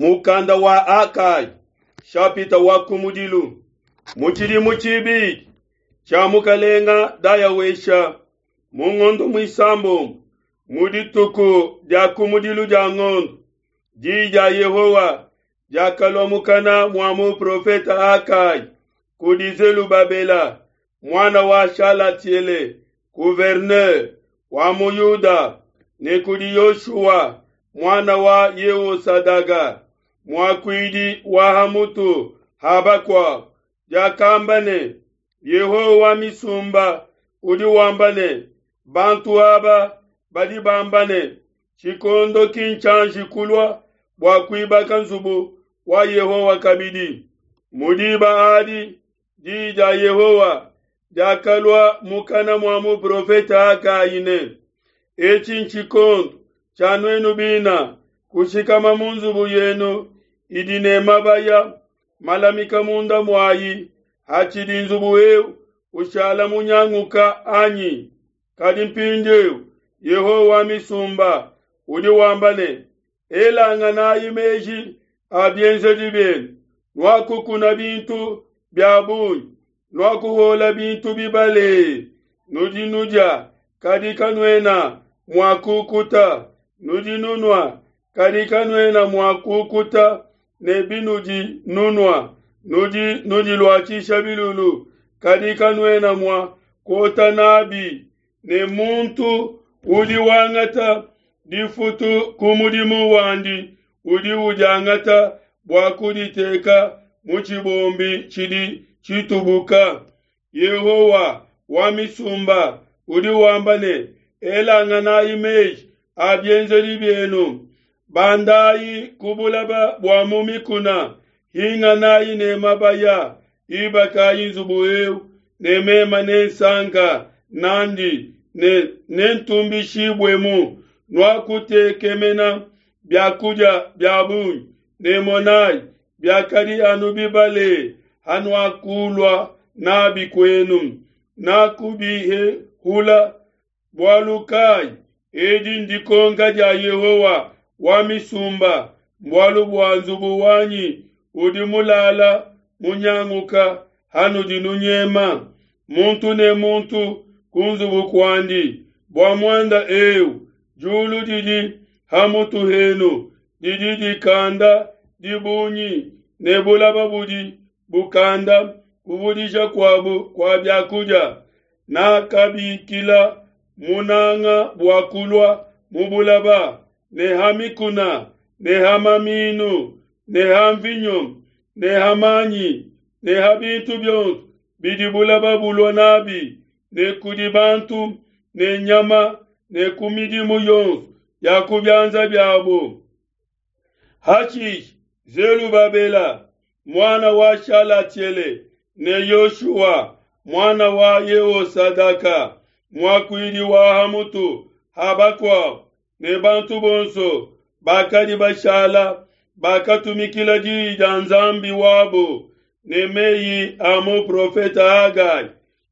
Mukanda wa Hagai, shapita wa kumudilu, mu tshidimu tshibidi tshia mukalenga Dayawesha, mu ngondo muisambombo, mu dituku dia kumudilu dia ngondo, diyi dia Yehowa diakalua mukana mua muprofete Hagai kudi Zelubabela muana wa Shalatiele, gouverneur wa mu Yuda, ne kudi Yoshua muana wa Yehosadaga, muakuidi wa ha mutu ha bakuabo, diakamba ne, Yehowa wa misumba udi wamba ne, Bantu aba badi bamba ne, Tshikondo ki ntshianji kulua bua kuibaka nzubu wa Yehowa kabidi. Mu diba adi diyi dia Yehowa diakalua mukana mua muprofete Hagai ne, Etshi ntshikondo tshia nuenu bina kushikama mu nzubu yenu idi ne mabaya malamika munda muayi, hatshidi nzubu eu ushala munyanguka anyi? Kadi mpindieu Yehowa wa misumba udi wamba ne, Elanganayi meji a bienzedi bienu, nuakukuna bintu bia bungi, nuakuhuola bintu bibale, nudi nudia, kadi kanuena mua kukuta, nudi nunua, kadi kanuena mua kukuta ne binudi nunua, nudi nudiluatshisha bilulu, kadi kanuena mua kuota nabi, ne muntu udi wangata difutu ku mudimu wandi udi udiangata bua kuditeka mu tshibombi tshidi tshitubuka. Yehowa wa misumba udi wamba ne, Elanganayi meji a bienzedi bienu, bandayi ku bulaba bua mu mikuna, hinganayi ne mabaya, ibakayi nzubu eu, ne mema nensanka nandi ne nentumbishibuemu. Nuakutekemena bia kudia bia bungi, ne monayi, biakadi anu bibale hanuakulua nabi kuenu, nakubihehula. Bualu kai? Edi ndikonka dia Yehowa wa misumba, mbualu bua nzubu wanyi udi mulala munyanguka hanudi nunyema, muntu ne muntu ku nzubu kuandi. Bua muanda eu diulu didi ha mutu henu didi dikanda dibungi, ne bulaba budi bukanda kuvudisha kuabu kua bia kudia. Nakabikila munanga bua kulua mu bulaba, ne ha mikuna, ne ha maminu, ne ha mvinyo, ne ha manyi, ne ha bintu bionso bidi bulaba bulua nabi, ne kudi bantu ne nyama, ne ku midimu yonso ya ku bianza biabo. Hashishe Zelubabela muana wa Shalatiele ne Yoshua muana wa Yehosadaka muakuidi wa ha mutu ha bakuabo ne bantu bonso bakadi bashala bakatumikila diyi dia Nzambi wabo ne meyi a muprofete Hagai,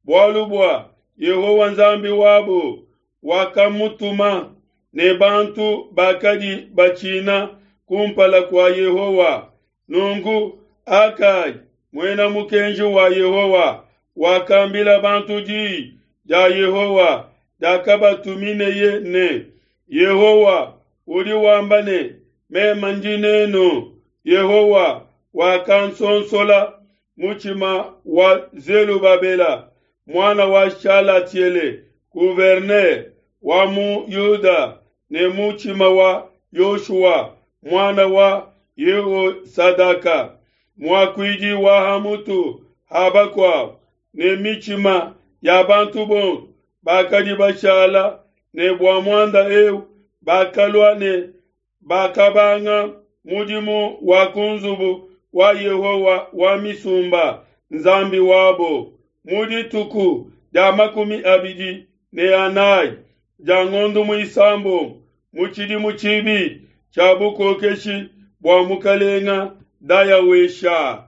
bualu bua Yehowa Nzambi wabo wakamutuma, ne bantu bakadi batshina kumpala kua Yehowa. Nunku Hagai, muena mukenji wa Yehowa, wakambila bantu diyi dia Yehowa diakabatumineye ne, Yehowa udi wamba ne, Meme ndi nenu. Yehowa wakansonsola mutshima wa Zelubabela muana wa Shalatiele, gouverneur wa mu Yuda, ne mutshima wa Yoshua muana wa Yehosadaka, muakuidi wa ha mutu ha bakuabo, ne mitshima ya bantu bonso bakadi bashala ne bua muanda eu bakalua ne bakabanga mudimu wa ku nzubu wa Yehowa wa misumba, Nzambi wabo, mu dituku dia 24 dia ngondo muisambombo mu tshidimu tshibidi tshia bukokeshi bua mukalenga Dayawesha.